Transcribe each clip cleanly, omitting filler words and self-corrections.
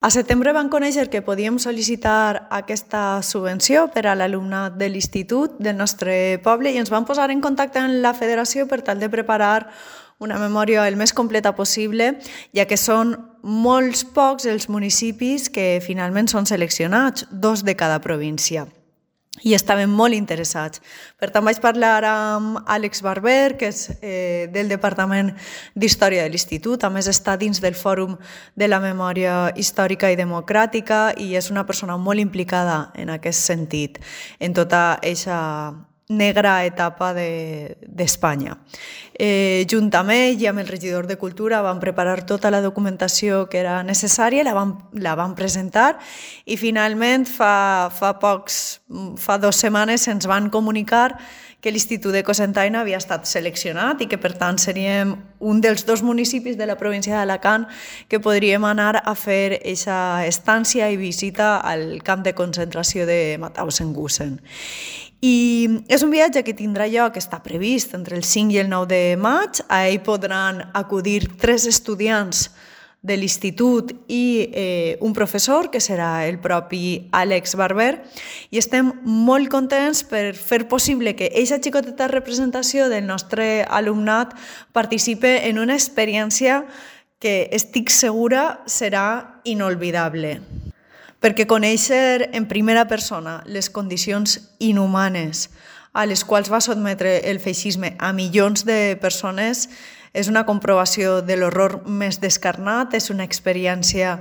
A setembre vam conèixer que podíem sol·licitar aquesta subvenció per a l'alumnat de l'institut del nostre poble i ens vam posar en contacte amb la federació per tal de preparar una memòria el més completa possible, ja que són molts pocs els municipis que finalment són seleccionats, 2 de cada província. I estaven molt interessats. Per tant, vaig parlar amb Àlex Barber, que és del Departament d'Història de l'Institut, a més està dins del Fòrum de la Memòria Històrica i Democràtica i és una persona molt implicada en aquest sentit, en tota aquesta negra etapa d'Espanya. Junt amb ell i amb el regidor de Cultura vam preparar tota la documentació que era necessària, la vam presentar i finalment fa 2 setmanes ens van comunicar que l'Institut de Cocentaina havia estat seleccionat i que per tant seríem un dels 2 municipis de la província d'Alacant que podríem anar a fer aquesta estància i visita al camp de concentració de Mauthausen-Gusen. I és un viatge que tindrà lloc, està previst, entre el 5 i el 9 de maig. A ell podran acudir 3 estudiants de l'institut i un professor, que serà el propi Àlex Barber, i estem molt contents per fer possible que aquesta xicoteta representació del nostre alumnat participe en una experiència que estic segura serà inolvidable. Perquè conèixer en primera persona les condicions inhumanes a les quals va sotmetre el feixisme a milions de persones és una comprovació de l'horror més descarnat, és una experiència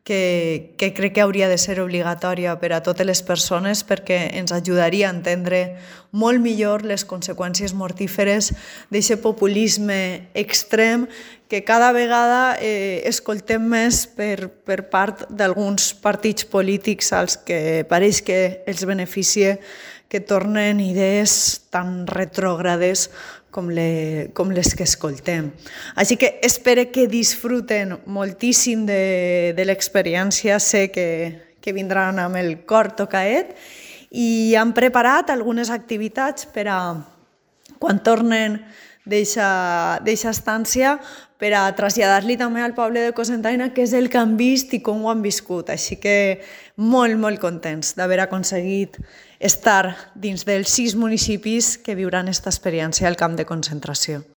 que crec que hauria de ser obligatòria per a totes les persones perquè ens ajudaria a entendre molt millor les conseqüències mortíferes d'aquest populisme extrem que cada vegada escoltem més per part d'alguns partits polítics als que pareix que els beneficia que tornen idees tan retrògrades com les que escoltem. Així que espero que disfruten moltíssim de l'experiència, sé que vindran amb el cor tocaet i han preparat algunes activitats per a quan tornen d'eixa estància per a traslladar-li també al poble de Cocentaina què és el que han vist i com ho han viscut. Així que molt, molt contents d'haver aconseguit estar dins dels 6 municipis que viuran aquesta experiència al camp de concentració.